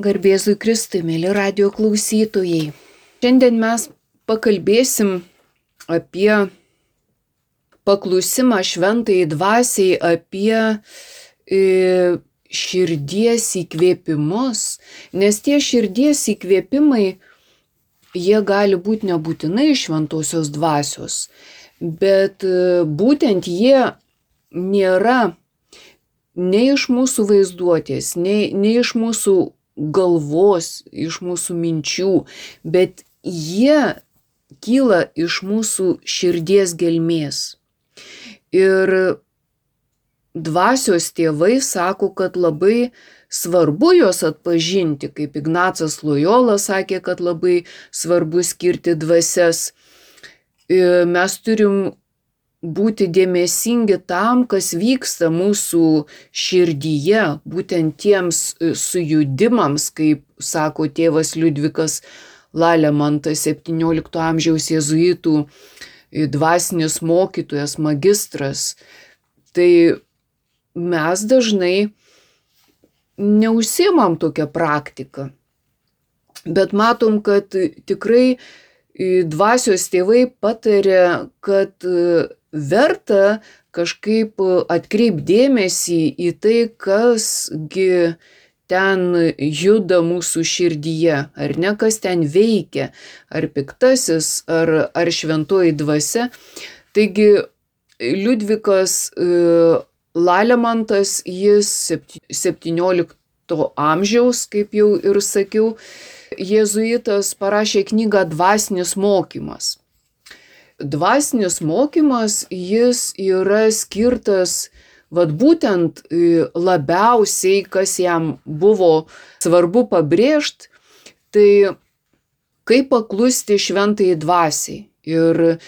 Garbėzui Kristui, mėly radijo klausytojai. Šiandien mes pakalbėsim apie paklusimą šventajai dvasiai, apie širdies įkvėpimus, nes tie širdies įkvėpimai, jie gali būti nebūtinai šventosios dvasios, bet būtent jie nėra nei iš mūsų vaizduotės, nei iš mūsų galvos, iš mūsų minčių, bet jie kyla iš mūsų širdies gelmės. Ir dvasios tėvai sako, kad labai svarbu juos atpažinti, kaip Ignacas Lojola sakė, kad labai svarbu skirti dvasias. Mes turim būti dėmesingi tam, kas vyksta mūsų širdyje, būtent tiems sujudimams, kaip sako tėvas Liudvikas Lalemantas, 17 amžiaus jėzuitų dvasinis mokytojas, magistras. Tai mes dažnai neužsiimam tokią praktiką, bet matom, kad tikrai dvasios tėvai patarė, kad verta kažkaip atkreipti dėmesį į tai, kasgi ten juda mūsų širdyje, ar ne, kas ten veikia, ar piktasis, ar šventoji dvasia. Taigi Liudvikas Lalemantas, jis 17 amžiaus, kaip jau ir sakiau, jėzuitas, parašė knygą Dvasinis mokymas. Dvasinis mokymas, jis yra skirtas būtent labiausiai, kas jam buvo svarbu pabrėžti, tai kaip paklusti šventajai dvasiai. Ir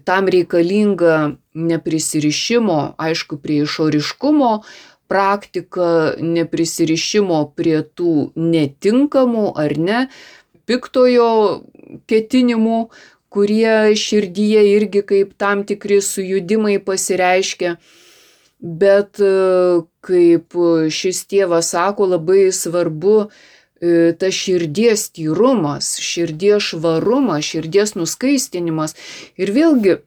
tam reikalinga neprisirišimo, aišku, prie išoriškumo praktika, neprisirišimo prie tų netinkamų ar ne piktojo ketinimų, kurie širdyje irgi kaip tam tikri sujudimai pasireiškia. Bet kaip šis tėvas sako, labai svarbu tas širdies tyrumas, širdies švarumas, širdies nuskaistinimas. Ir vėlgi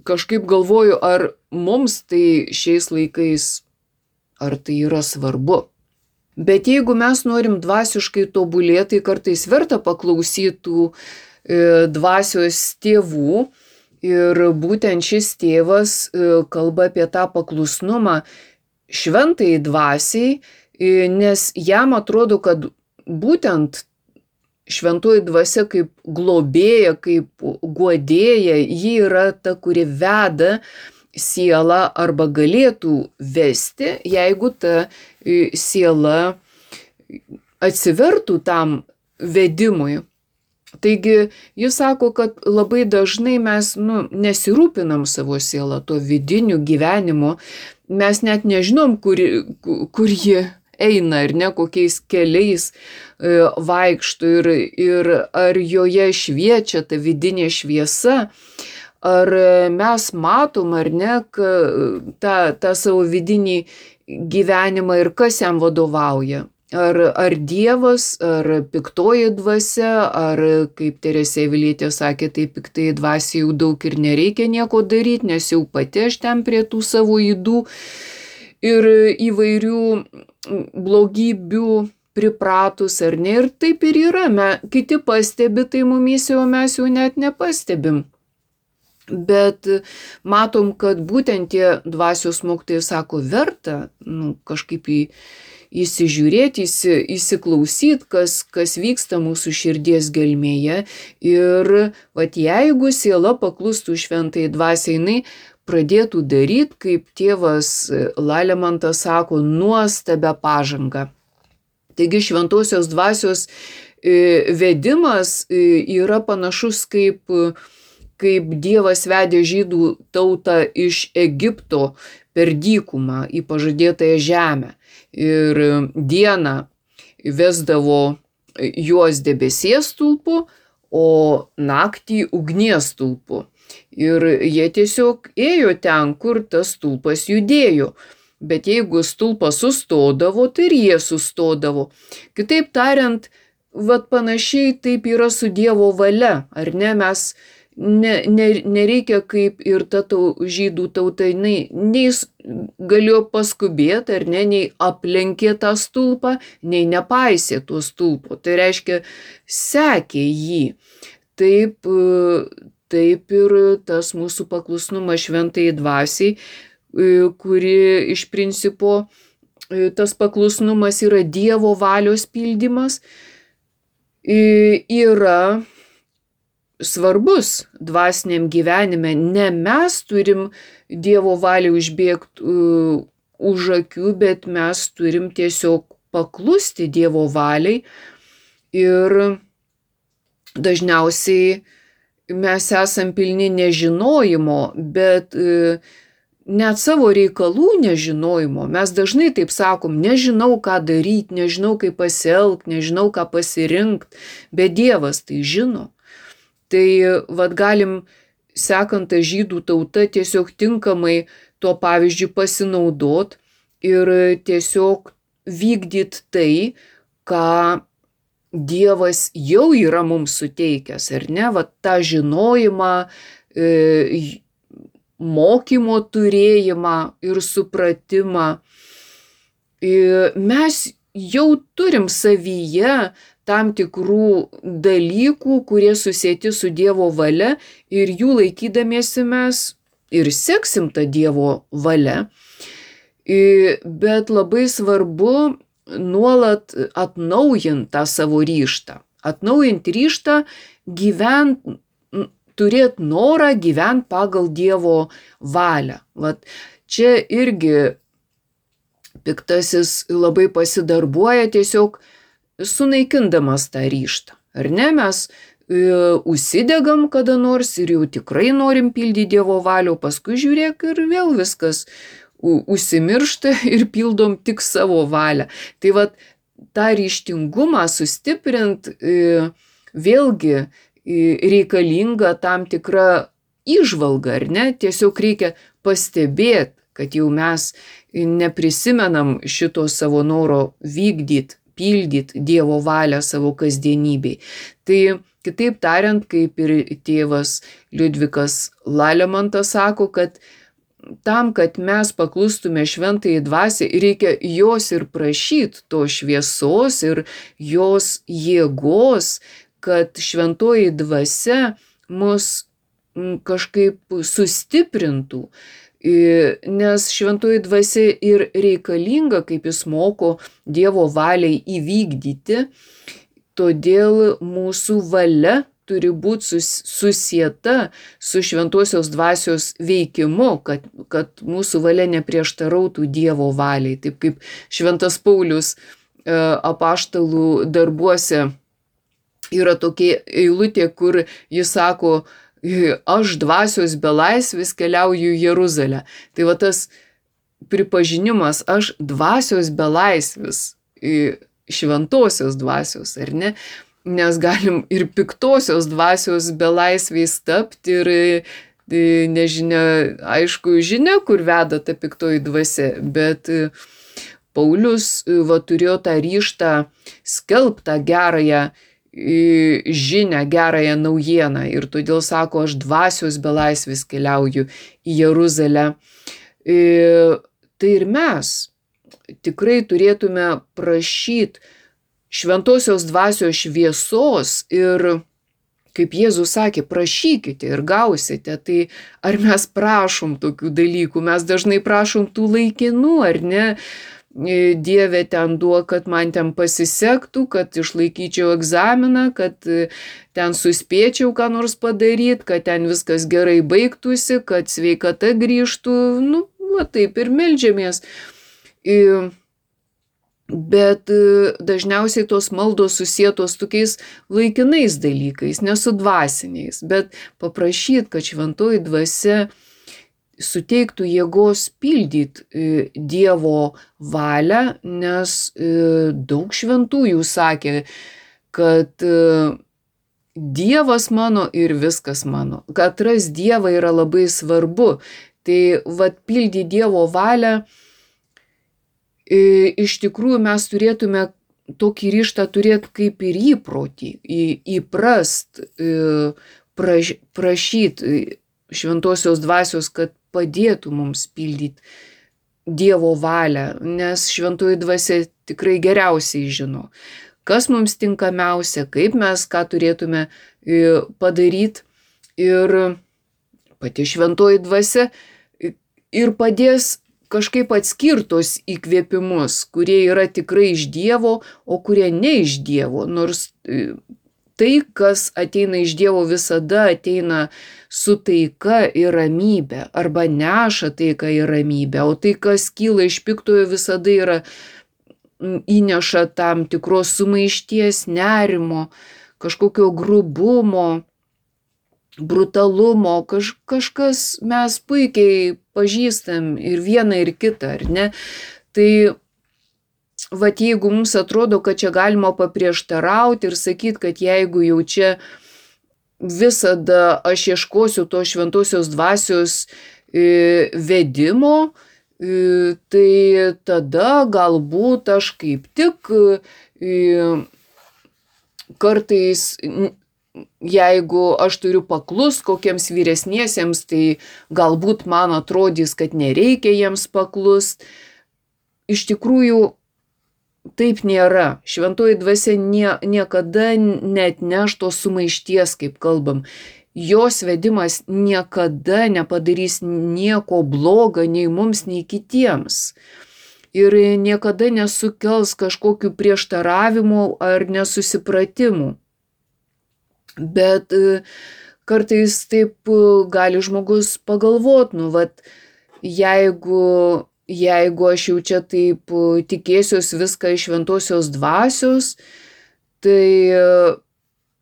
kažkaip galvoju, ar mums tai šiais laikais, ar tai yra svarbu. Bet jeigu mes norim dvasiškai tobulėti, tai kartais verta paklausytų dvasios tėvų. Ir būtent šis tėvas kalba apie tą paklusnumą šventajai dvasiai, nes jam atrodo, kad būtent šventoji dvasia kaip globėja, kaip guodėja, ji yra ta, kuri veda sielą arba galėtų vesti, jeigu ta siela atsivertų tam vedimui. Taigi jis sako, kad labai dažnai mes nesirūpinam savo sielą, to vidiniu gyvenimu, mes net nežinom, kur ji eina ir ne kokiais keliais vaikšto ir ar joje šviečia ta vidinė šviesa, ar mes matom ar ne tą savo vidinį gyvenimą ir kas jam vadovauja. Ar Dievas, ar piktoji dvasia, ar, kaip Teresė Avilietė sakė, tai piktai dvasiai jau daug ir nereikia nieko daryti, nes jau pati aš ten prie tų savo ydų ir įvairių blogybių pripratus, ar ne, ir taip ir yra. Kiti pastebi, tai mumyse, o mes jau net nepastebim. Bet matom, kad būtent tie dvasios mokytojai sako, verta kažkaip įsižiūrėti, įsiklausyti, kas vyksta mūsų širdies gelmėje. Ir jeigu siela paklustų šventai dvasiai, jinai pradėtų daryti, kaip tėvas Lalemantas sako, nuostabią pažangą. Taigi šventosios dvasios vedimas yra panašus kaip Dievas vedė žydų tautą iš Egipto per dykumą į pažadėtąją žemę. Ir dieną vesdavo juos debesies stulpu, o naktį ugnies stulpu. Ir jie tiesiog ėjo ten, kur tas stulpas judėjo. bet jeigu stulpas sustodavo, tai ir jie sustodavo. Kitaip tariant, panašiai taip yra su Dievo valia, ar ne? Mes nereikia kaip ir ta žydų tauta, nei galėjo paskubėti, ar ne, nei aplenkė tą stulpą, nei nepaisė to stulpo. Tai reiškia, sekė jį. Taip ir tas mūsų paklusnumas šventajai dvasiai, kuri iš principo tas paklusnumas yra Dievo valios pildymas, yra svarbus dvasiniam gyvenime. Ne mes turim Dievo valiai užbėgti už akių, bet mes turim tiesiog paklusti Dievo valiai. Ir dažniausiai mes esam pilni nežinojimo, bet net savo reikalų nežinojimo. Mes dažnai taip sakom, nežinau, ką daryti, nežinau, kaip pasielgti, nežinau, ką pasirinkti, bet Dievas tai žino. Tai galim, sekant tą žydų tautą, tiesiog tinkamai tuo pavyzdžiu pasinaudot ir tiesiog vykdyti tai, ką Dievas jau yra mums suteikęs, ar ne? Tą žinojimą, mokymo turėjimą ir supratimą. Mes jau turim savyje tam tikrų dalykų, kurie susieti su Dievo valia, ir jų laikydamiesi mes ir seksim tą Dievo valia. Bet labai svarbu nuolat atnaujinti tą savo ryžtą. Atnaujinti ryžtą gyventi, turėti norą gyventi pagal Dievo valią. Čia irgi piktasis labai pasidarbuoja, tiesiog sunaikindamas tą ryžtą. Ar ne? Mes užsidegam kada nors ir jau tikrai norim pildyti Dievo valią, paskui žiūrėk ir vėl viskas užsimiršta ir pildom tik savo valią. Tai tą ryžtingumą sustiprinti vėlgi reikalinga tam tikra įžvalga, ar ne? Tiesiog reikia pastebėti, kad jau mes neprisimenam šito savo noro vykdyti, pildyti Dievo valią savo kasdienybei. Tai kitaip tariant, kaip ir tėvas Liudvikas Lalemantas sako, kad tam, kad mes paklustume šventajai dvasiai, reikia jos ir prašyti, to šviesos ir jos jėgos, kad šventoji dvasia mus kažkaip sustiprintų. Nes šventoji dvasia ir reikalinga, kaip jis moko, Dievo valiai įvykdyti, todėl mūsų valia turi būti susieta su šventosios dvasios veikimu, kad mūsų valia neprieštarautų Dievo valiai. Taip kaip šventas Paulius apaštalų darbuose yra tokia eilutė, kur jis sako, aš dvasios belaisvis keliauju į Jeruzalę. Tai tas pripažinimas, aš dvasios belaisvis, šventosios dvasios, ar ne? Nes galim ir piktosios dvasios belaisviais tapti ir nežinia, aišku, žinia, kur veda ta piktoji dvasia, bet Paulius turėjo tą ryžtą skelbti tą gerąją žinią, gerąją naujieną, ir todėl sako, aš dvasios belaisvis keliauju į Jeruzalę. Tai ir mes tikrai turėtume prašyti šventosios dvasios šviesos ir, kaip Jėzus sakė, prašykite ir gausite. Tai ar mes prašom tokių dalykų? Mes dažnai prašom tų laikinų, ar ne? Dieve, ten duok, kad man ten pasisektų, kad išlaikyčiau egzaminą, kad ten suspėčiau ką nors padaryti, kad ten viskas gerai baigtųsi, kad sveikata grįžtų. Taip ir meldžiamės. Bet dažniausiai tos maldos susietos tokiais laikinais dalykais, nesu dvasiniais, bet paprašyti, kad šventoji dvasia suteiktų jėgos pildyti Dievo valią, nes daug šventųjų sakė, kad Dievas mano ir viskas mano. Kad atrast Dievą yra labai svarbu. Tai pildyti Dievo valią iš tikrųjų mes turėtume tokį ryžtą turėti kaip ir įprotį, įprast, prašyti šventosios dvasios, kad padėtų mums pildyti Dievo valią, nes šventoji dvasia tikrai geriausiai žino, kas mums tinkamiausia, kaip mes ką turėtume padaryti. Ir pati šventoji dvasia ir padės kažkaip atskirtos įkvėpimus, kurie yra tikrai iš Dievo, o kurie ne iš Dievo. Nors tai, kas ateina iš Dievo, visada ateina su taika ir ramybė, arba neša taiką ir ramybę, o tai, kas kyla iš piktojo, visada yra įneša tam tikros sumaišties, nerimo, kažkokio grubumo, brutalumo, kažkas mes puikiai pažįstam ir vieną ir kitą, ar ne? Tai vat jeigu mums atrodo, kad čia galima paprieštarauti ir sakyti, kad jeigu jau čia visada aš ieškosiu to šventosios dvasios vedimo, tai tada galbūt aš kaip tik kartais, jeigu aš turiu paklust kokiems vyresniesiems, tai galbūt man atrodys, kad nereikia jiems paklust. Iš tikrųjų, taip nėra. Šventoji dvasia niekada neatneš tos sumaišties, kaip kalbam. Jos vedimas niekada nepadarys nieko bloga nei mums, nei kitiems. Ir niekada nesukels kažkokių prieštaravimų ar nesusipratimų. Bet kartais taip gali žmogus pagalvot, jeigu aš jau čia taip tikėsiuos viską iš šventosios dvasios, tai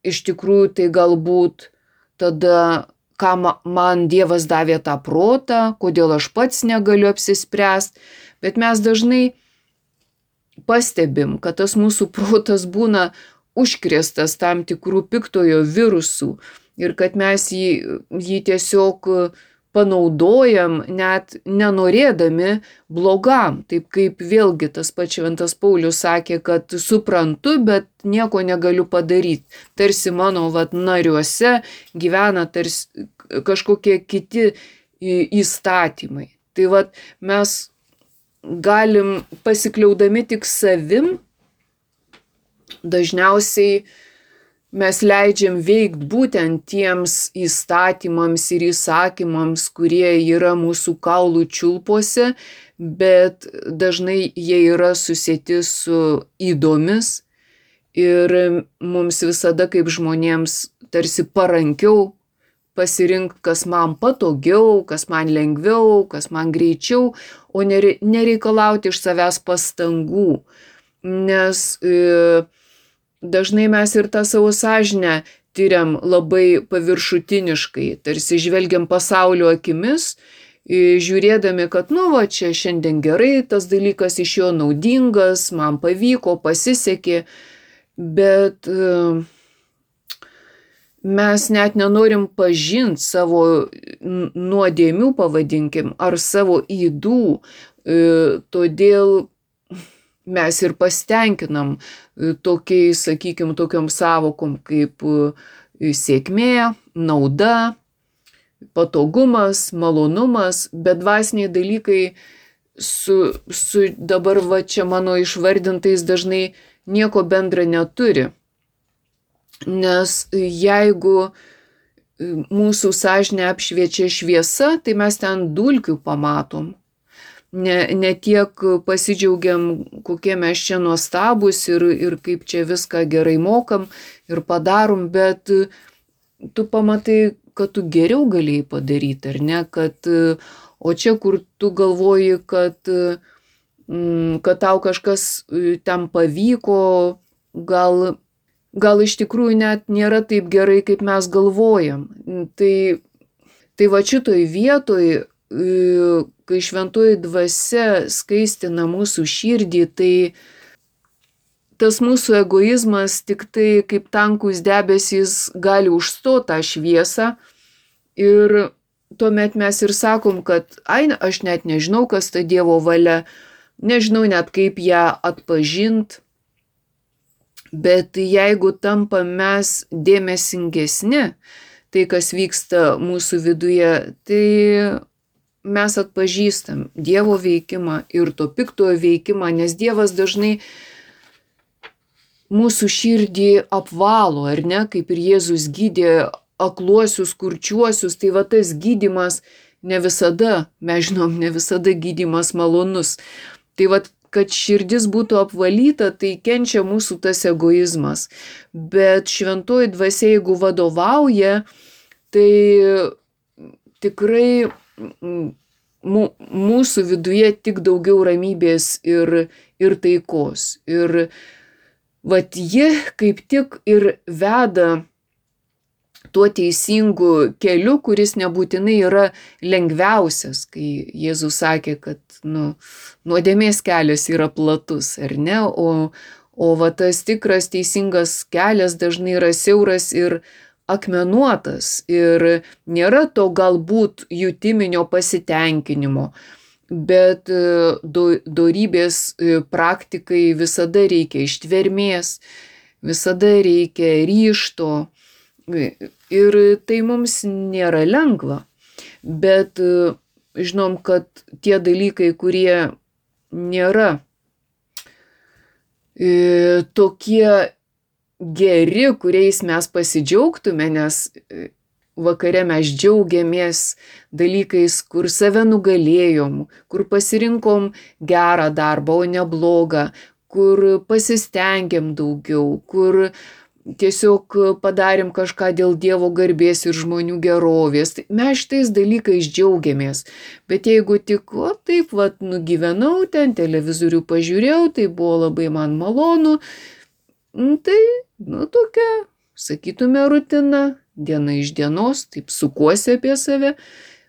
iš tikrųjų tai galbūt tada, ką man Dievas davė tą protą, kodėl aš pats negaliu apsispręsti, bet mes dažnai pastebim, kad tas mūsų protas būna užkrėstas tam tikrų piktojo virusų ir kad mes jį tiesiog panaudojam net nenorėdami blogam. Taip kaip vėlgi tas pats šventas Paulius sakė, kad suprantu, bet nieko negaliu padaryti. Tarsi mano nariuose gyvena tarsi kažkokie kiti įstatymai. Tai mes galim pasikliaudami tik savim, dažniausiai mes leidžiam veikti būtent tiems įstatymams ir įsakymams, kurie yra mūsų kaulų čiulpuose, bet dažnai jie yra susieti su ydomis ir mums visada kaip žmonėms tarsi parankiau pasirinkti, kas man patogiau, kas man lengviau, kas man greičiau, o nereikalauti iš savęs pastangų, nes dažnai mes ir tą savo sąžinę tyriam labai paviršutiniškai, tarsi žvelgiam pasaulio akimis, žiūrėdami, kad čia šiandien gerai, tas dalykas iš jo naudingas, man pavyko, pasisekė, bet mes net nenorim pažinti savo nuodėmių, pavadinkim, ar savo ydų, todėl mes ir pasitenkinam tokiais, sakykim, tokiom savokom kaip sėkmė, nauda, patogumas, malonumas, bet dvasiniai dalykai su dabar čia mano išvardintais dažnai nieko bendra neturi. Nes jeigu mūsų sąžinę apšviečia šviesa, tai mes ten dulkių pamatom. Ne tiek pasidžiaugiam, kokie mes čia nuostabus ir kaip čia viską gerai mokam ir padarom, bet tu pamatai, kad tu geriau galėjai padaryti, ar ne? O čia, kur tu galvoji, kad tau kažkas ten pavyko, gal iš tikrųjų net nėra taip gerai, kaip mes galvojam. Tai šitoj vietoj, kai šventoji dvasia skaistina mūsų širdį, tai tas mūsų egoizmas tik tai kaip tankus debesys gali užstoti tą šviesą ir tuomet mes ir sakom, kad aš net nežinau, kas ta Dievo valia, nežinau net kaip ją atpažint, bet jeigu tampam mes dėmesingesni, tai kas vyksta mūsų viduje, tai mes atpažįstam Dievo veikimą ir to piktojo veikimą, nes Dievas dažnai mūsų širdį apvalo, ar ne, kaip ir Jėzus gydė akluosius, kurčiuosius, tai va tas gydymas ne visada, mes žinom, ne visada gydymas malonus. Tai va, kad širdis būtų apvalyta, tai kenčia mūsų tas egoizmas. Bet šventoji dvasia, jeigu vadovauja, tai tikrai mūsų viduje tik daugiau ramybės ir taikos. Ir vat ji kaip tik ir veda tuo teisingu keliu, kuris nebūtinai yra lengviausias, kai Jėzus sakė, kad nuodėmės kelias yra platus, ar ne, o va tas tikras teisingas kelias dažnai yra siauras ir akmenuotas ir nėra to galbūt jutiminio pasitenkinimo, bet dorybės praktikai visada reikia ištvermės, visada reikia ryžto ir tai mums nėra lengva, bet žinom, kad tie dalykai, kurie nėra tokie geri, kuriais mes pasidžiaugtume, nes vakare mes džiaugiamės dalykais, kur save nugalėjom, kur pasirinkom gerą darbą, o ne blogą, kur pasistengėm daugiau, kur tiesiog padarėm kažką dėl Dievo garbės ir žmonių gerovės. Tai mes šitais dalykais džiaugiamės. Bet jeigu tik taip nugyvenau, ten televizorių pažiūrėjau, tai buvo labai man malonu, tai tokia, sakytume, rutina, diena iš dienos, taip sukuosi apie save.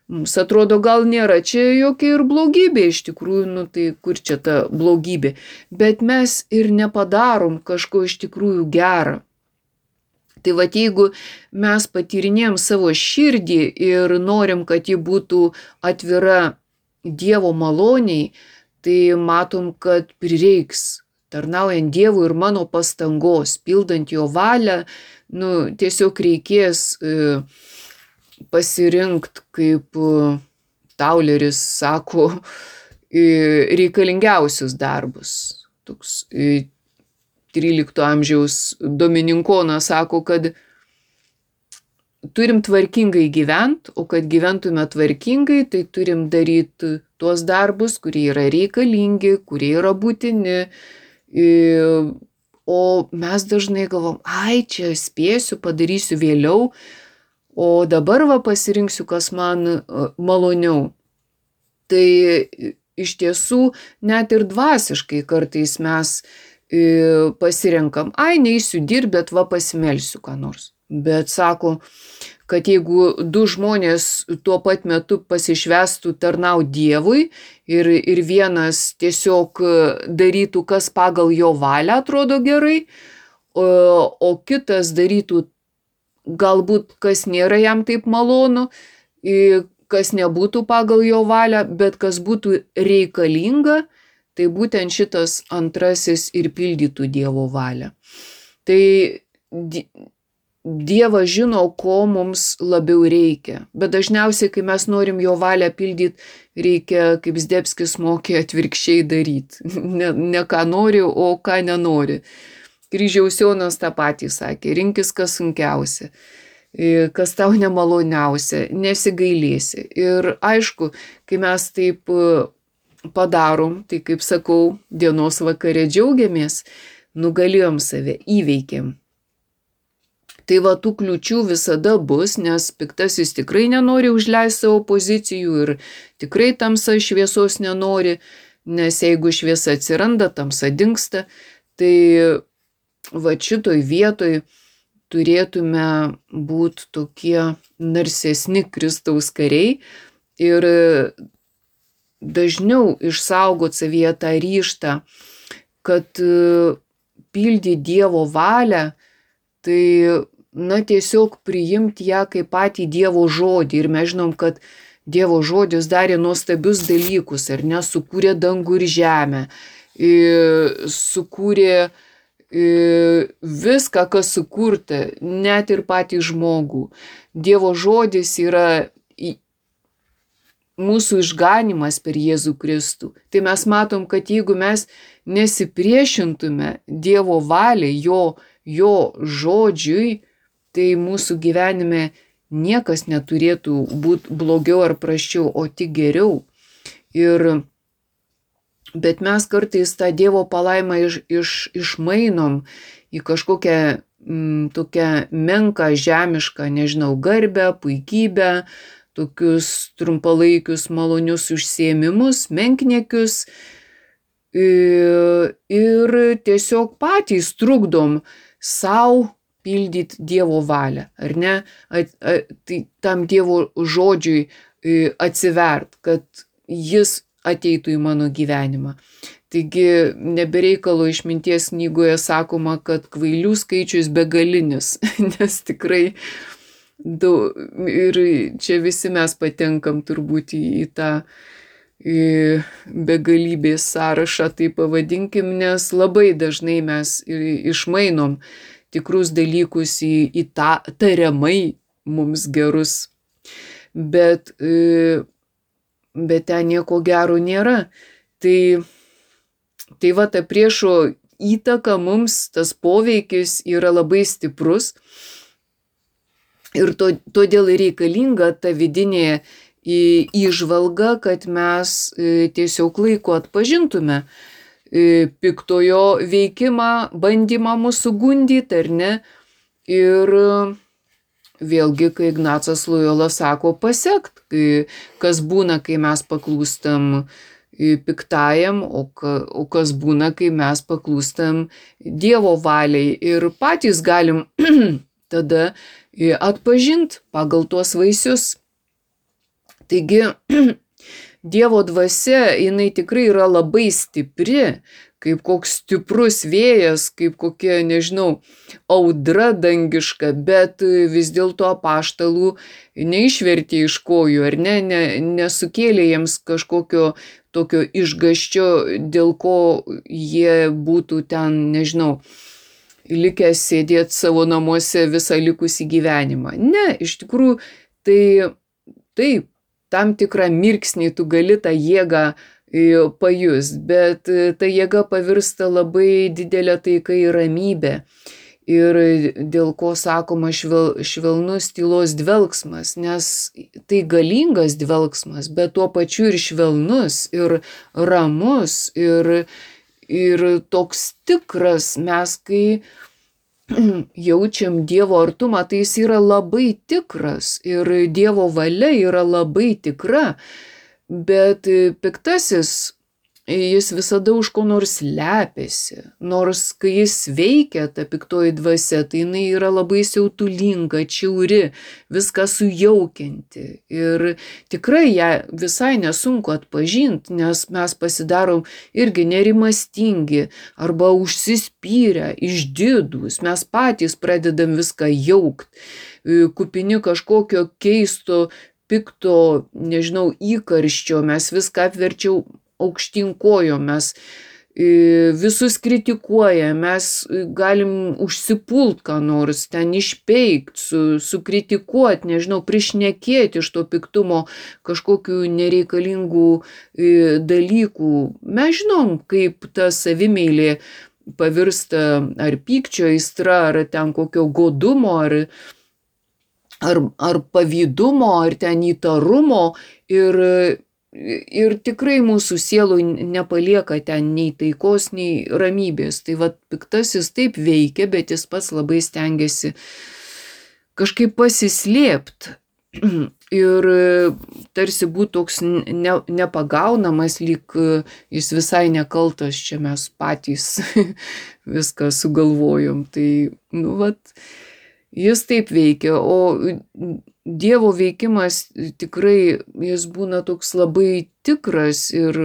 Mums atrodo, gal nėra čia jokia ir blogybė, iš tikrųjų, tai kur čia ta blogybė. Bet mes ir nepadarom kažko iš tikrųjų gerą. Tai va, jeigu mes patyrinėjom savo širdį ir norim, kad ji būtų atvira Dievo maloniai, tai matom, kad prireiks tarnaujant Dievui ir mano pastangos, pildant jo valią, tiesiog reikės pasirinkti, kaip Tauleris sako, reikalingiausius darbus. Toks 13 amžiaus dominikonas sako, kad turim tvarkingai gyventi, o kad gyventume tvarkingai, tai turim daryti tuos darbus, kurie yra reikalingi, kurie yra būtini. O mes dažnai galvom, čia spėsiu, padarysiu vėliau, o dabar pasirinksiu, kas man maloniau. Tai iš tiesų net ir dvasiškai kartais mes pasirenkam, neisiu dirbti, bet pasimelsiu ką nors. Bet sako, kad jeigu du žmonės tuo pat metu pasišvestų tarnauti Dievui ir vienas tiesiog darytų, kas pagal jo valią atrodo gerai, o kitas darytų galbūt, kas nėra jam taip malonu, kas nebūtų pagal jo valią, bet kas būtų reikalinga, tai būtent šitas antrasis ir pildytų Dievo valią. Tai Dievas žino, ko mums labiau reikia. Bet dažniausiai, kai mes norim jo valią pildyti, reikia, kaip Zdebskis mokė, atvirkščiai daryti. Ne ką nori, o ką nenori. Kryžiaus Jonas tą patį sakė, rinkis kas sunkiausia, kas tau nemaloniausia, nesigailėsi. Ir aišku, kai mes taip padarom, tai kaip sakau, dienos vakare džiaugiamės, nugalėjom save, įveikėm. Tai va, tų kliūčių visada bus, nes piktasis tikrai nenori užleisti savo pozicijų ir tikrai tamsa šviesos nenori, nes jeigu šviesa atsiranda, tamsa dingsta, tai va šitoj vietoj turėtume būti tokie narsesni Kristaus kariai ir dažniau išsaugot savyje tą ryžtą, kad pildyti Dievo valią, tai tiesiog priimti ją kaip patį Dievo žodį. Ir mes žinom, kad Dievo žodis darė nuostabius dalykus, ar ne, sukūrė dangų ir žemę, sukūrė viską, kas sukurta, net ir patį žmogų. Dievo žodis yra mūsų išganimas per Jėzų Kristų. Tai mes matom, kad jeigu mes nesipriešintume Dievo valiai, jo žodžiui, tai mūsų gyvenime niekas neturėtų būti blogiau ar prasčiau, o tik geriau. Bet mes kartais tą Dievo palaimą išmainom į kažkokią tokią menką, žemišką, nežinau, garbę, puikybę, tokius trumpalaikius malonius užsiėmimus, menkniekius ir tiesiog patys trukdom savo pildyti Dievo valią, ar ne? Tai tam Dievo žodžiui atsivert, kad jis ateitų į mano gyvenimą. Taigi nebereikalo Išminties knygoje sakoma, kad kvailių skaičius begalinis, nes tikrai ir čia visi mes patenkam turbūt į tą begalybės sąrašą, tai pavadinkim, nes labai dažnai mes išmainom tikrus dalykus į tariamai mums gerus. Bet ten nieko gero nėra. Tai va, ta priešo įtaka mums, tas poveikis yra labai stiprus. Ir todėl reikalinga ta vidinė įžvalga, kad mes tiesiog laiku atpažintume piktojo veikimą, bandymą mūsų gundyti, ar ne. Ir vėlgi, kai Ignacas Lojola sako, pasekt, kas būna, kai mes paklūstam piktajam, o kas būna, kai mes paklūstam Dievo valiai. Ir patys galim tada atpažint pagal tuos vaisius. Taigi, Dievo dvasia, jinai tikrai yra labai stipri, kaip koks stiprus vėjas, kaip kokia, nežinau, audra dangiška, bet vis dėlto apaštalų neišvertė iš kojų, ar ne, nesukėlė jiems kažkokio tokio išgąsčio, dėl ko jie būtų ten, nežinau, likęs sėdėti savo namuose visą likusį gyvenimą. Ne, iš tikrųjų, taip, tam tikrą mirksnį tu gali tą jėgą pajus, bet ta jėga pavirsta labai didelė taika į ramybę. Ir dėl ko sakoma švelnus tylos dvelksmas, nes tai galingas dvelksmas, bet tuo pačiu ir švelnus, ir ramus, ir toks tikras. Mes kai jaučiam Dievo artumą, tai jis yra labai tikras ir Dievo valia yra labai tikra, bet piktasis, jis visada už ko nors slepiasi, nors kai jis veikia, ta piktoji dvasia, tai jinai yra labai siautulinga, čiauri, viską sujaukianti ir tikrai ją visai nesunku atpažinti, nes mes pasidarom irgi nerimastingi arba užsispyrę, išdidūs, mes patys pradedam viską jaukt, kupini kažkokio keisto, pikto, nežinau, įkarščio, mes viską apverčiau aukštyn kojom, mes visus kritikuojam, mes galim užsipult ką nors, ten išpeikt, sukritikuot, nežinau, prišnekėti iš to piktumo kažkokių nereikalingų dalykų. Mes žinom, kaip ta savimeilė pavirsta ar pykčio aistra, ar ten kokio godumo, ar pavydumo, ar ten įtarumo ir tikrai mūsų sieloj nepalieka ten nei taikos, nei ramybės. Tai va, piktasis taip veikia, bet jis pats labai stengiasi kažkaip pasislėpt ir tarsi būtų toks nepagaunamas, lyg jis visai nekaltas, čia mes patys viską sugalvojom. Tai, jis taip veikia, o Dievo veikimas tikrai jis būna toks labai tikras ir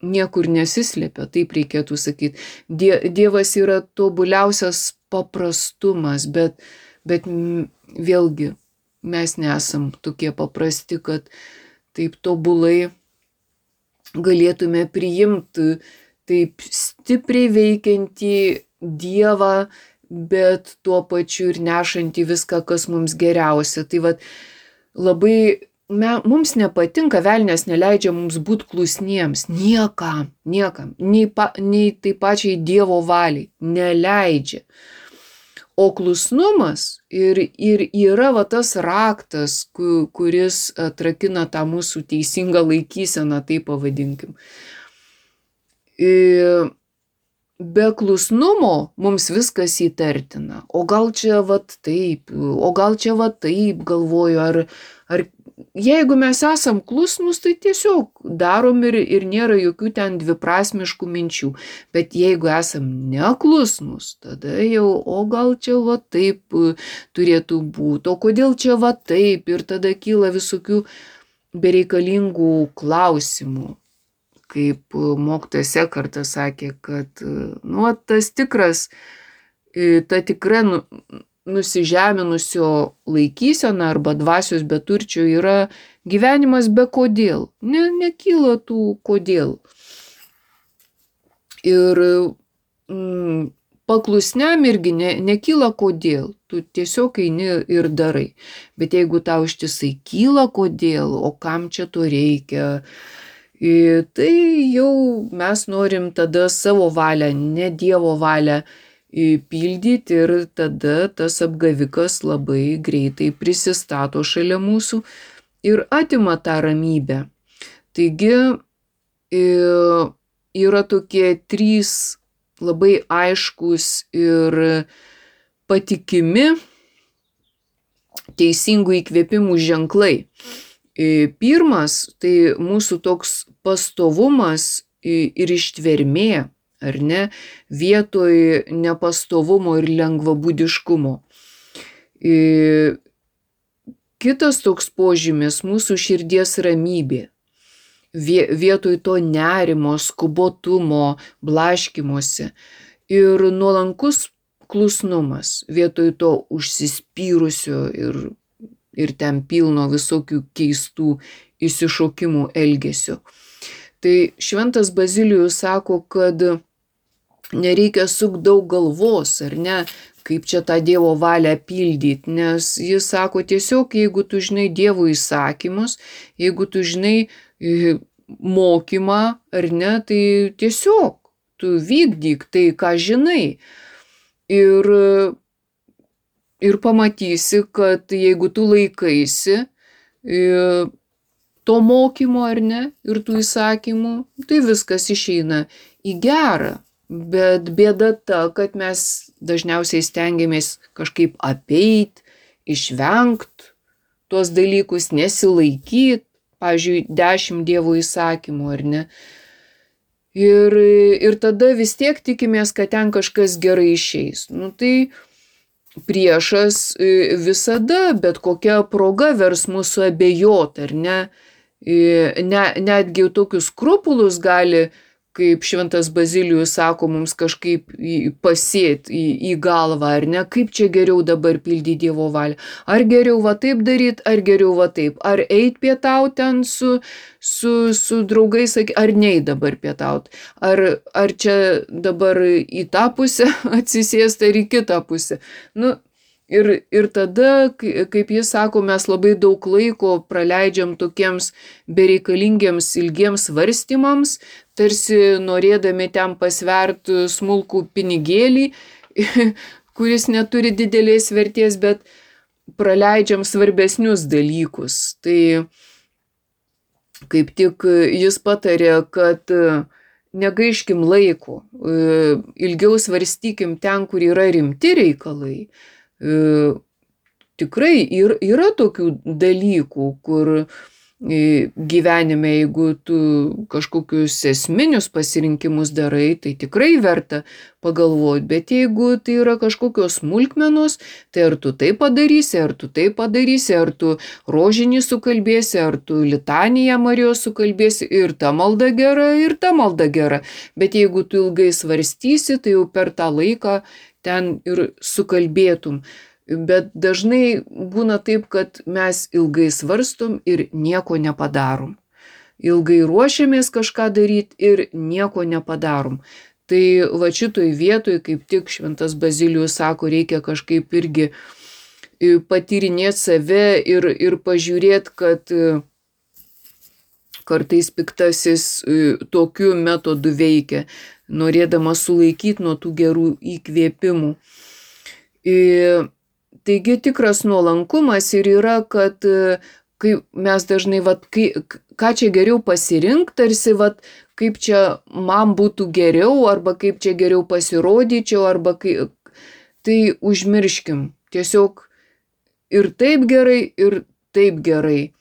niekur nesislėpia, taip reikėtų sakyti. Dievas yra tobuliausias paprastumas, bet vėlgi mes nesam tokie paprasti, kad taip tobulai galėtume priimti taip stipriai veikiantį Dievą, bet tuo pačiu ir nešantį viską, kas mums geriausia. Tai vat labai mums nepatinka, velnias neleidžia mums būti klusniems. Niekam, nei tai pačiai Dievo valiai. Neleidžia. O klusnumas ir yra va tas raktas, kuris atrakina tą mūsų teisingą laikyseną, taip pavadinkim. Be klusnumo mums viskas įtartina. O gal čia vat taip, galvoju, ar jeigu mes esam klusnus, tai tiesiog darom ir nėra jokių ten dviprasmiškų minčių. Bet jeigu esam neklusnus, tada jau, o gal čia va taip turėtų būti, o kodėl čia va taip, ir tada kyla visokių bereikalingų klausimų. Kaip mokytojas Ekartas sakė, kad tas tikras, ta tikra nusižeminusio laikysena arba dvasios beturčio yra gyvenimas be kodėl. Nekyla tų kodėl. Ir paklusniam irgi nekyla kodėl. Tu tiesiog eini ir darai. Bet jeigu tau ištisai kyla kodėl, o kam čia to reikia, tai jau mes norim tada savo valią, ne Dievo valią pildyti, ir tada tas apgavikas labai greitai prisistato šalia mūsų ir atima tą ramybę. Taigi yra tokie 3 labai aiškus ir patikimi teisingų įkvėpimų ženklai. Pirmas, tai mūsų toks pastovumas ir ištvermė, ar ne, vietoj nepastovumo ir lengvabūdiškumo. Kitas toks požymis - mūsų širdies ramybė. Vietoj to nerimo, skubotumo, blaškymosi. Ir nuolankus klusnumas, vietoj to užsispyrusio ir ten pilno visokių keistų įsišokimų elgesio. Tai šventas Bazilijus sako, kad nereikia sukti daug galvos, ar ne, kaip čia tą Dievo valią pildyti, nes jis sako tiesiog, jeigu tu žinai Dievo įsakymus, jeigu tu žinai mokymą, ar ne, tai tiesiog tu vykdyk tai, ką žinai. Ir pamatysi, kad jeigu tu laikaisi to mokymo, ar ne, ir tų įsakymų, tai viskas išeina į gerą. Bet bėda ta, kad mes dažniausiai stengiamės kažkaip apeit, išvengt tuos dalykus, nesilaikyt, pavyzdžiui, 10 Dievo įsakymų, ar ne. Ir tada vis tiek tikimės, kad ten kažkas gerai išeis. Tai priešas visada, bet kokia proga vers mūsų abejot, ar ne. Netgi tokius skrupulus gali, kaip šventas Bazilijus sako, mums kažkaip pasėti į galvą, ar ne, kaip čia geriau dabar pildyti Dievo valią. Ar geriau va taip daryti, ar geriau va taip. Ar eit pietauti ten su draugais, ar neit dabar pietauti. Ar čia dabar į tą pusę atsisėsti, ar į kitą pusę. Ir tada, kaip jis sako, mes labai daug laiko praleidžiam tokiems bereikalingiems ilgiems svarstymams, tarsi norėdami ten pasverti smulkų pinigėlį, kuris neturi didelės vertės, bet praleidžiam svarbesnius dalykus. Tai kaip tik jis patarė, kad negaiškim laiko, ilgiau svarstykim ten, kur yra rimti reikalai. Tikrai yra tokių dalykų, kur gyvenime, jeigu tu kažkokius esminius pasirinkimus darai, tai tikrai verta pagalvoti, bet jeigu tai yra kažkokios smulkmenos, tai ar tu tai padarysi, ar tu tai padarysi, ar tu rožinį sukalbėsi, ar tu litaniją Marijos sukalbėsi, ir ta malda gera, ir ta malda gera. Bet jeigu tu ilgai svarstysi, tai jau per tą laiką ten ir sukalbėtum. Bet dažnai būna taip, kad mes ilgai svarstom ir nieko nepadarom. Ilgai ruošiamės kažką daryti ir nieko nepadarom. Tai va šitoj vietoj, kaip tik šventas Bazilijus sako, reikia kažkaip irgi patyrinėti save ir pažiūrėti, kad kartais piktasis tokiu metodu veikia, norėdamas sulaikyti nuo tų gerų įkvėpimų. Taigi tikras nuolankumas ir yra, kad kai mes dažnai, ką čia geriau pasirinkti, tarsi, kaip čia man būtų geriau, arba kaip čia geriau pasirodyčiau, arba tai užmirškim. Tiesiog ir taip gerai, ir taip gerai.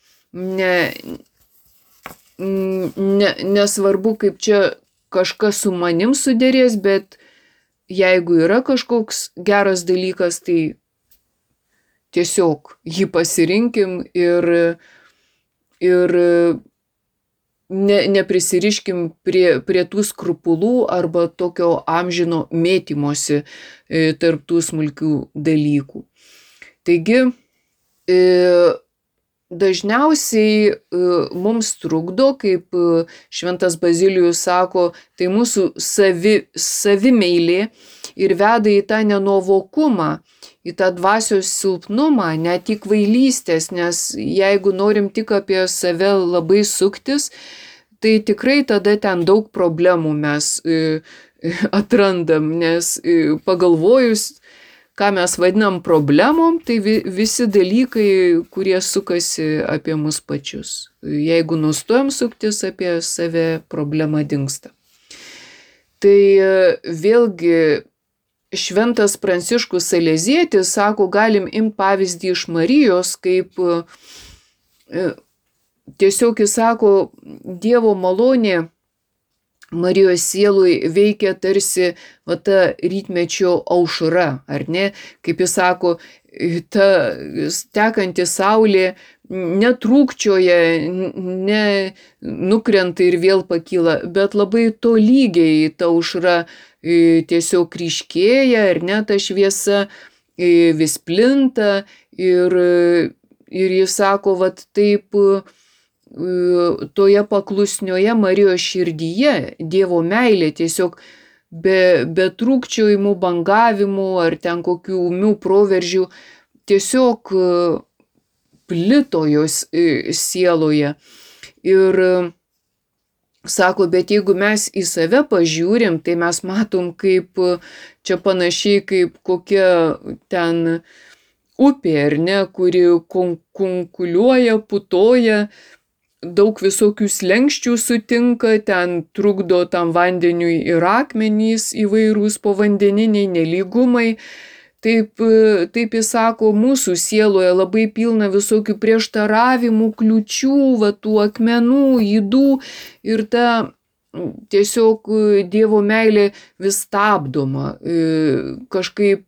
Nesvarbu, kaip čia kažkas su manim suderės, bet jeigu yra kažkoks geras dalykas, tai tiesiog jį pasirinkim ir neprisiriškim prie tų skrupulų arba tokio amžino mėtymosi tarp tų smulkių dalykų. Taigi, dažniausiai mums trukdo, kaip šventas Bazilijus sako, tai mūsų savimeilė ir veda į tą nenuovokumą, į tą dvasios silpnumą, net į kvailystės, nes jeigu norim tik apie save labai suktis, tai tikrai tada ten daug problemų mes atrandam, nes pagalvojus, ką mes vadinam problemom, tai visi dalykai, kurie sukasi apie mus pačius. Jeigu nustojam suktis apie save, problema dingsta. Tai vėlgi šventas Pranciškus Salezietis sako, galim imti pavyzdį iš Marijos, kaip tiesiog jis sako, Dievo malonė Marijos sielui veikia tarsi ta rytmečio aušra, ar ne? Kaip jis sako, ta tekanti saulė netrūkčioja, nukrenta ir vėl pakyla, bet labai tolygiai ta aušra tiesiog ryškėja, ar ne, ta šviesa vis plinta ir jis sako, taip toje paklusnioje Marijos širdyje Dievo meilė tiesiog be trūkčiojimų, bangavimų ar ten kokių ūmių proveržių tiesiog plito jos sieloje. Ir sako, bet jeigu mes į save pažiūrim, tai mes matom, kaip čia panašiai kaip kokia ten upė, ar ne, kuri kunkuliuoja, putoja, daug visokių slenksčių sutinka, ten trukdo tam vandeniui ir akmenys įvairūs povandeniniai nelygumai. Taip jis sako, mūsų sieloje labai pilna visokių prieštaravimų, kliučių, tų akmenų, ydų ir ta tiesiog Dievo meilė vis stabdoma. Kažkaip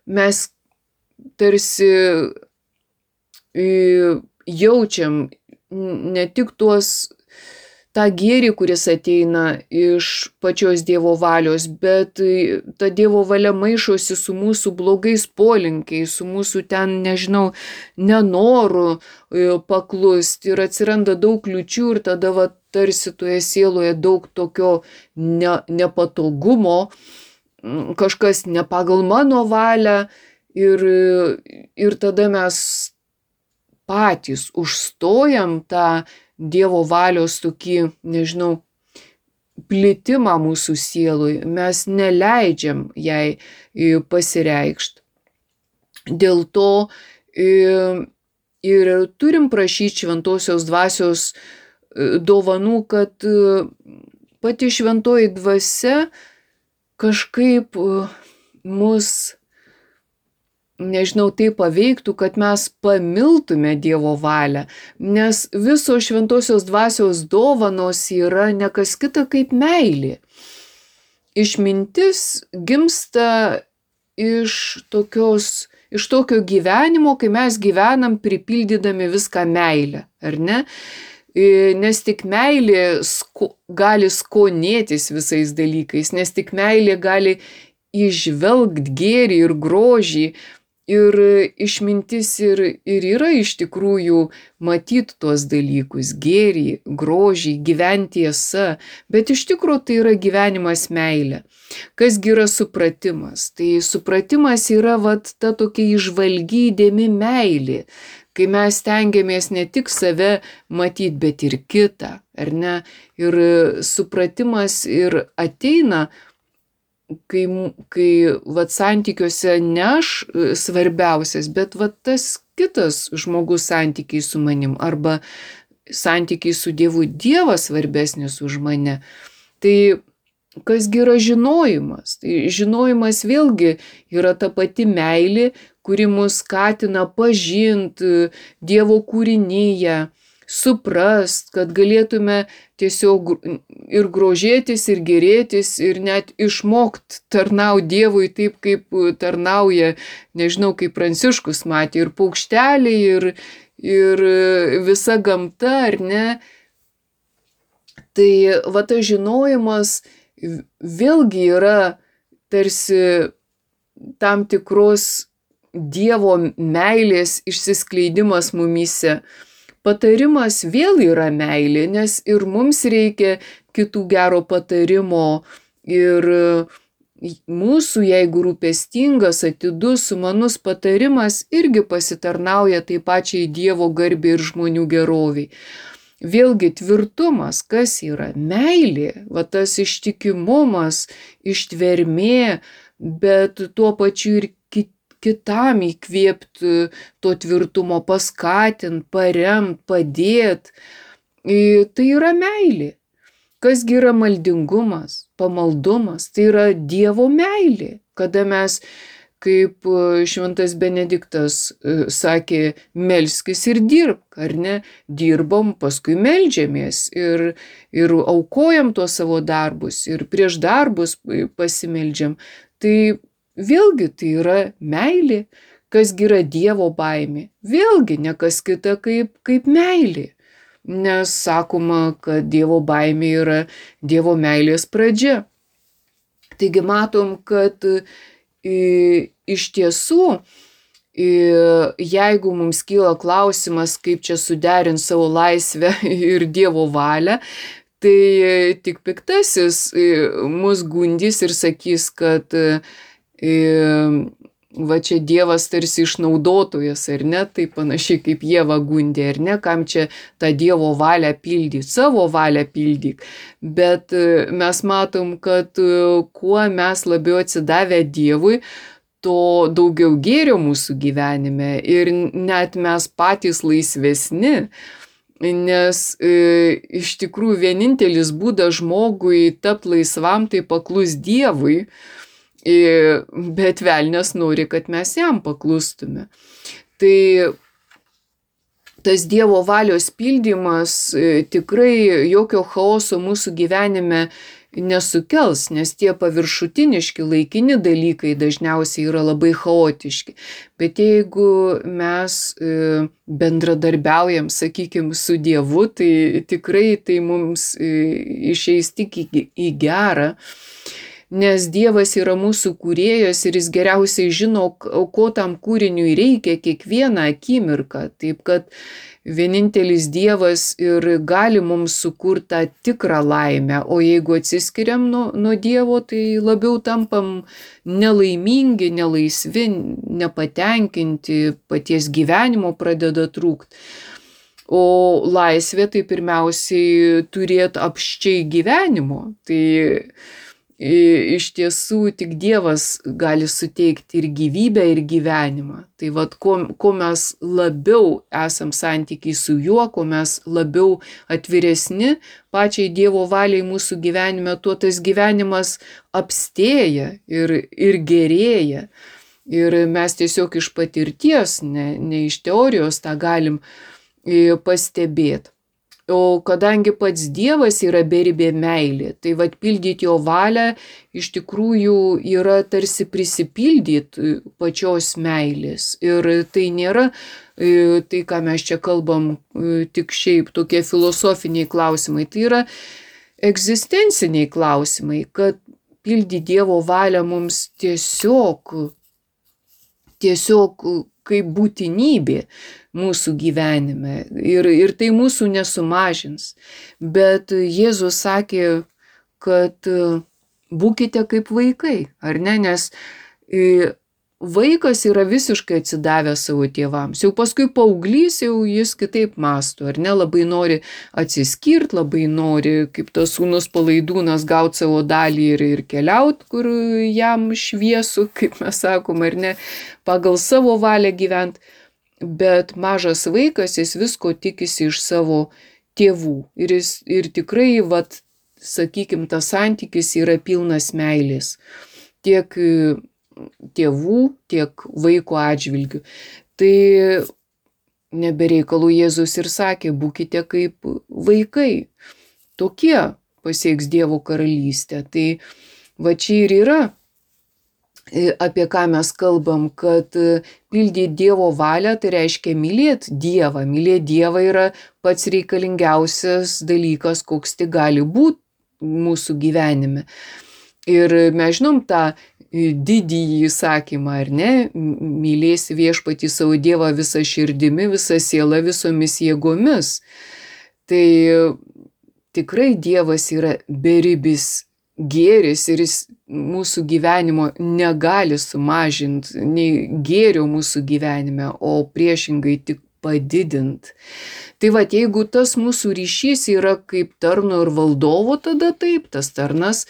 mes tarsi jaučiam ne tik tą gėrį, kuris ateina iš pačios Dievo valios, bet ta Dievo valia maišosi su mūsų blogais polinkiais, su mūsų ten, nežinau, nenoru paklusti ir atsiranda daug kliučių ir tada tarsi toje sieloje daug tokio nepatogumo, kažkas ne pagal mano valią ir tada mes patys užstojam tą Dievo valios tokį, nežinau, plitimą mūsų sielui. Mes neleidžiam jai pasireikšti. Dėl to ir turim prašyti šventosios dvasios dovanų, kad pati šventoji dvasia kažkaip mus, nežinau, tai paveiktų, kad mes pamiltume Dievo valią, nes visos šventosios dvasios dovanos yra ne kas kita kaip meilė. Išmintis gimsta iš tokio gyvenimo, kai mes gyvenam pripildydami viską meilę, ar ne? Nes tik meilė gali skonėtis visais dalykais, nes tik meilė gali įžvelgti gėrį ir grožį Ir išmintis ir yra iš tikrųjų matyti tuos dalykus, gėrį, grožį, gyventi tiesa, bet iš tikrųjų tai yra gyvenimas meilė. Kasgi yra supratimas? Tai supratimas yra vat ta tokia įžvalgi įdėmi meilė, kai mes stengiamės ne tik save matyti, bet ir kitą, ar ne? Ir supratimas ir ateina, kai vat santykiuose ne aš svarbiausias, bet vat tas kitas žmogus santykiai su manim, arba santykiai su Dievu, Dievas svarbesnis už mane. Tai kasgi yra žinojimas? Tai žinojimas vėlgi yra ta pati meilė, kuri mus skatina pažinti Dievo kūrinyje, suprast, kad galėtume tiesiog ir grožėtis, ir gerėtis, ir net išmokt tarnauti Dievui taip, kaip tarnauja, nežinau, kaip Pranciškus matė, ir paukšteliai, ir visa gamta, ar ne? Tai va tas žinojimas vėlgi yra tarsi tam tikros Dievo meilės išsiskleidimas mumyse. Patarimas vėl yra meilė, nes ir mums reikia kitų gero patarimo, ir mūsų, jeigu rūpestingas, atidus, sumanus patarimas irgi pasitarnauja taip pačiai Dievo garbei ir žmonių geroviai. Vėlgi tvirtumas, kas yra? Meilė, va tas ištikimumas, ištvermė, bet tuo pačiu ir kitam įkvėpti to tvirtumo, paskatinti, paremti, padėti. Tai yra meilė. Kasgi yra maldingumas, pamaldumas? Tai yra Dievo meilė, kada mes, kaip šventas Benediktas sakė, melskis ir dirbk, ar ne? Dirbom, paskui meldžiamės ir aukojam tuos savo darbus, ir prieš darbus pasimeldžiam. Tai vėlgi tai yra meilė. Kasgi yra Dievo baimė? Vėlgi ne kas kita kaip meilė. Nes sakoma, kad Dievo baimė yra Dievo meilės pradžia. Taigi matom, kad iš tiesų, jeigu mums kyla klausimas, kaip čia suderinti savo laisvę ir Dievo valią, tai tik piktasis mus gundys ir sakys, kad va čia Dievas tarsi išnaudotojas, ar ne, tai panašiai kaip Ieva gundė, ar ne, kam čia tą Dievo valią pildyk, savo valią pildyk. Bet mes matom, kad kuo mes labiau atsidavę Dievui, to daugiau gėrio mūsų gyvenime, ir net mes patys laisvesni, nes iš tikrųjų vienintelis būdas žmogui tapti laisvam, tai paklus Dievui. Bet velnias nori, kad mes jam paklustume. Tai tas Dievo valios pildymas tikrai jokio chaoso mūsų gyvenime nesukels, nes tie paviršutiniški laikini dalykai dažniausiai yra labai chaotiški. Bet jeigu mes bendradarbiaujam, sakykime, su Dievu, tai tikrai tai mums išeis tik į gerą. Nes Dievas yra mūsų kūrėjas ir jis geriausiai žino, ko tam kūriniui reikia kiekvieną akimirką. Taip kad vienintelis Dievas ir gali mums sukurti tą tikrą laimę, o jeigu atsiskiriam nuo Dievo, tai labiau tampam nelaimingi, nelaisvi, nepatenkinti, paties gyvenimo pradeda trūkti. O laisvė tai pirmiausiai turėti apsčiai gyvenimo. Tai iš tiesų tik Dievas gali suteikti ir gyvybę, ir gyvenimą. Tai vat, ko mes labiau esam santykiai su juo, ko mes labiau atviresni pačiai Dievo valiai mūsų gyvenime, tuo tas gyvenimas apstėja ir gerėja. Ir mes tiesiog iš patirties, ne iš teorijos tą galim pastebėti. O kadangi pats Dievas yra beribė meilė, tai vat pildyti jo valią iš tikrųjų yra tarsi prisipildyti pačios meilės. Ir tai nėra tai, ką mes čia kalbam, tik šiaip tokie filosofiniai klausimai. Tai yra egzistenciniai klausimai, kad pildyti Dievo valią mums tiesiog tiesiog kaip būtinybė mūsų gyvenime ir tai mūsų nesumažins. Bet Jėzus sakė, kad būkite kaip vaikai, ar ne, nes vaikas yra visiškai atsidavęs savo tėvams. Jau paskui paauglys, jau jis kitaip mąsto, ar ne, labai nori atsiskirti, labai nori, kaip tas sūnus Palaidūnas, gauti savo dalį ir keliauti, kur jam šviesu, kaip mes sakom, ar ne, pagal savo valią gyventi. Bet mažas vaikas, jis visko tikisi iš savo tėvų. Ir tikrai, vat, sakykim, tas santykis yra pilnas meilės. Tiek tėvų, tiek vaiko atžvilgių. Tai nebereikalų Jėzus ir sakė, būkite kaip vaikai. Tokie pasieks Dievo karalystę. Tai va čia ir yra, apie ką mes kalbam, kad pildyti Dievo valią, tai reiškia mylėti Dievą. Mylėti Dievą yra pats reikalingiausias dalykas, koks tik gali būti mūsų gyvenime. Ir mes žinom tą didįjį įsakymą, ar ne, mylėsi viešpatį savo Dievą visą širdimi, visą sielą, visomis jėgomis. Tai tikrai Dievas yra beribis gėris ir jis mūsų gyvenimo negali sumažinti, nei gėrio mūsų gyvenime, o priešingai tik padidinti. Tai va, jeigu tas mūsų ryšys yra kaip tarno ir valdovo, tada taip, tas tarnas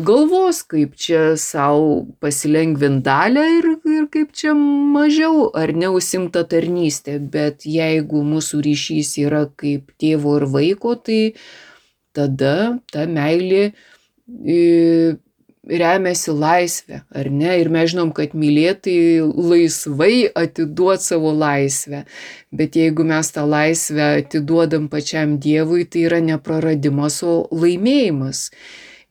galvos, kaip čia savo pasilengvint dalę ir kaip čia mažiau ar neužsimta tarnystė. Bet jeigu mūsų ryšys yra kaip tėvo ir vaiko, tai tada ta meilė remiasi laisvę, ar ne? Ir mes žinom, kad mylėtai laisvai atiduot savo laisvę. Bet jeigu mes tą laisvę atiduodam pačiam Dievui, tai yra nepraradimas, o laimėjimas.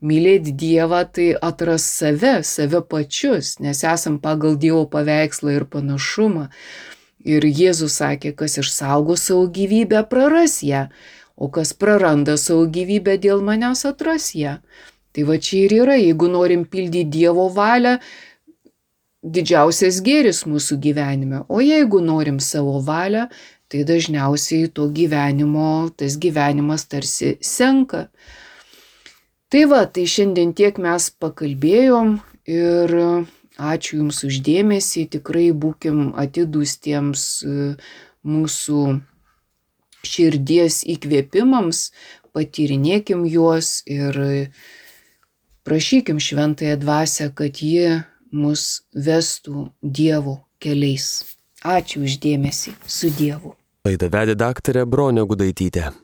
Mylėti Dievą tai atras save pačius, nes esam pagal Dievo paveikslą ir panašumą. Ir Jėzus sakė, kas išsaugo savo gyvybę, praras ją, o kas praranda savo gyvybę dėl manęs, atras ją. Tai va čia ir yra, jeigu norim pildyti Dievo valią, didžiausias gėris mūsų gyvenime. O jeigu norim savo valią, tai dažniausiai tas gyvenimas tarsi senka. Tai va, tai šiandien tiek mes pakalbėjom ir ačiū Jums už dėmesį, tikrai būkim atidūs tiems mūsų širdies įkvėpimams, patyrinėkim juos ir prašykim Šventąją Dvasią, kad ji mus vestų Dievo keliais. Ačiū už dėmesį, su Dievu. Laidą vedė daktarė Bronė Gudaitytė.